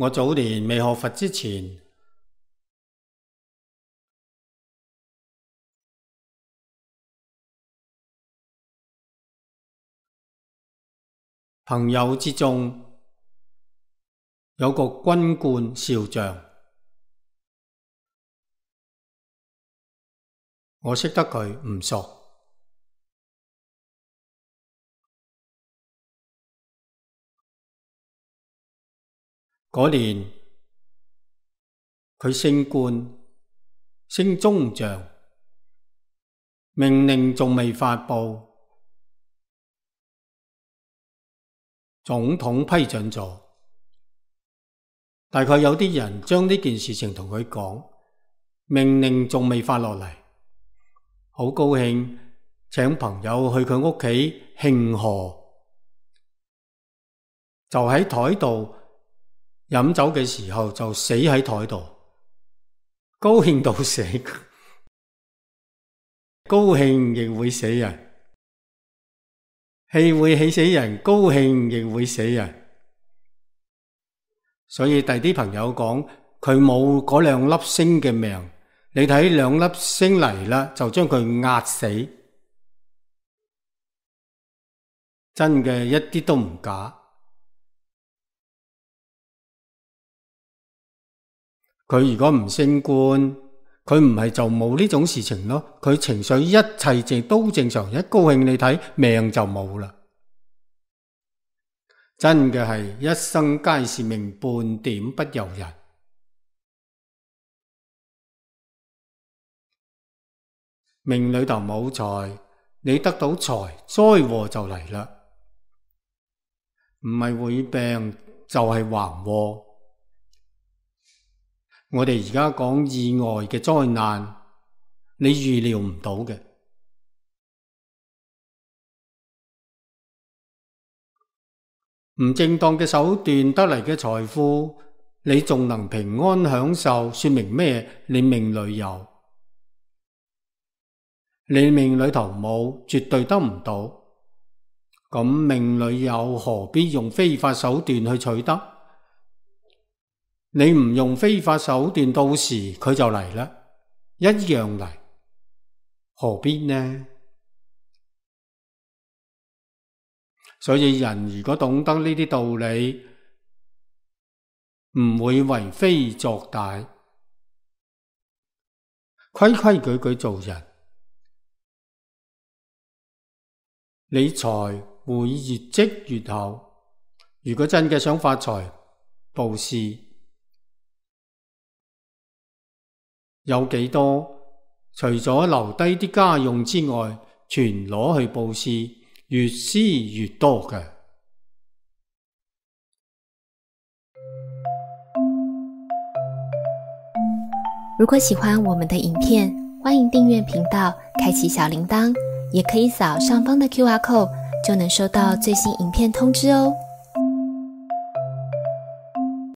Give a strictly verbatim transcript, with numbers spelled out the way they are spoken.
我早年未學佛之前，朋友之中有個軍官少將，我識得佢唔熟。嗰年佢升官，升中將，命令仲未發佈，總統批准咗。大概有啲人將呢件事情同佢講，命令仲未發落嚟，好高興，請朋友去佢屋企慶賀，就喺台度飲酒嘅時候就死喺台度，高興到死，高興亦會死人，氣會氣死人，高興亦會死人。所以第啲朋友講佢冇嗰兩粒星嘅命，你睇兩粒星嚟啦，就將佢壓死，真嘅一啲都唔假。佢如果唔升官，佢唔係就冇呢種事情咯。佢情緒一切正都正常，一高興你睇命就冇啦。真嘅係一生皆是命，半點不由人。命裏頭冇財，你得到財，災禍就嚟啦。唔係會病就係橫禍。我哋而家講意外嘅災難，你預料唔到嘅。唔正當嘅手段得嚟嘅財富，你仲能平安享受，說明咩？你命裏有，你命裏頭冇，絕對得唔到。咁命裏有，何必用非法手段去取得？你唔用非法手段，到時佢就嚟啦，一樣嚟，何必呢？所以人如果懂得呢啲道理，唔會為非作歹，規規矩矩做人，理財會越積越厚。如果真嘅想發財，布施有幾多？除咗留低啲家用之外，全攞去布施，越施越多嘅。如果喜歡我們的影片，歡迎訂閱頻道，開啟小鈴鐺，也可以掃上方的 Q R code，就能收到最新影片通知哦。